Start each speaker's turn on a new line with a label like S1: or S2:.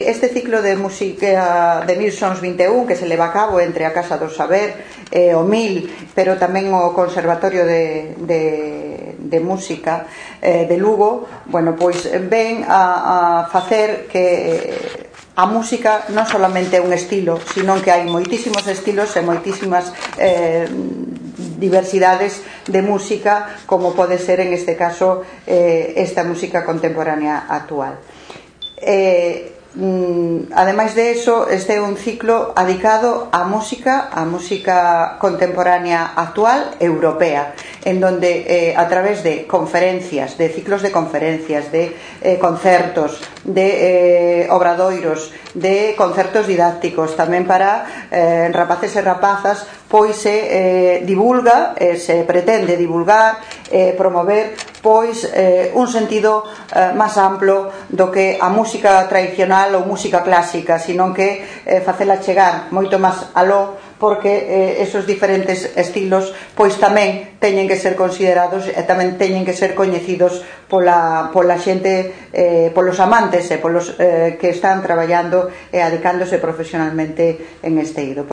S1: Este ciclo de música de 1121 que se leva a cabo entre a Casa do Saber e o MIL, pero tamén o Conservatorio de Música de Lugo, bueno, pois ven a facer que a música non solamente é un estilo, sino que hai moitísimos estilos e moitísimas diversidades de música, como pode ser en este caso esta música contemporánea actual. Ademais de eso, este é un ciclo dedicado á música contemporánea actual europea, en donde a través de conferencias, de ciclos de conferencias, de concertos, de obradoiros, de concertos didácticos, tamén para rapaces e rapazas, pois se divulga, se pretende divulgar, promover pois un sentido máis amplo do que a música tradicional ou música clásica, sino que facela chegar moito máis aló, porque esos diferentes estilos pois tamén teñen que ser considerados e tamén teñen que ser coñecidos pola xente, polos amantes e polos que están traballando e adicándose profesionalmente en este eido.